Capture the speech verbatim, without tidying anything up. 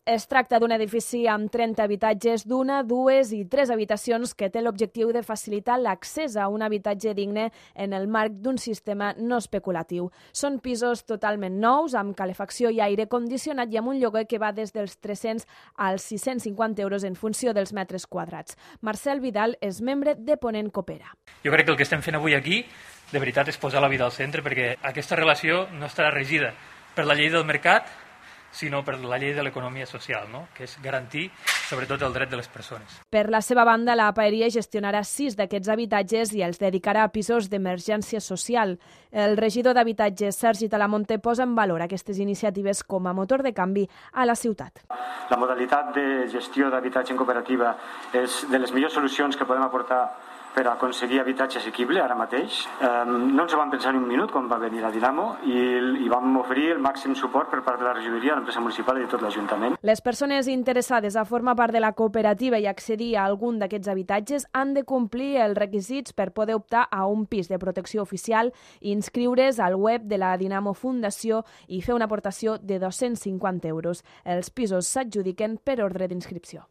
Es tracta d'un edifici amb trenta habitatges d'una, dues i tres habitacions que té l'objectiu de facilitar l'accés a un habitatge digne en el marc d'un sistema no especulatiu. Són pisos totalment nous, amb calefacció i aire condicionat i amb un lloguer que va des dels tres-cents als sis-cents cinquanta euros en funció dels metres quadrats. Marcel Vidal és membre de Ponent Coopera. Jo crec que el que estem fent avui aquí, de veritat, és posar la vida al centre, perquè aquesta relació no estarà regida per la llei del mercat, sinó per la llei de l'economia social, no? Que és garantir, sobretot, el dret de les persones. Per la seva banda, la Paeria gestionarà sis d'aquests habitatges i els dedicarà a pisos d'emergència social. El regidor d'Habitatges, Sergi Talamonte, posa en valor aquestes iniciatives com a motor de canvi a la ciutat. La modalitat de gestió d'habitatge en cooperativa és de les millors solucions que podem aportar per aconseguir habitatge assequible ara mateix. No ens ho vam pensar ni un minut quan va venir a Dinamo i vam oferir el màxim suport per part de la regidoria, l'empresa municipal i de tot l'Ajuntament. Les persones interessades a formar part de la cooperativa i accedir a algun d'aquests habitatges han de complir els requisits per poder optar a un pis de protecció oficial, inscriure's al web de la Dinamo Fundació i fer una aportació de dos-cents cinquanta euros. Els pisos s'adjudiquen per ordre d'inscripció.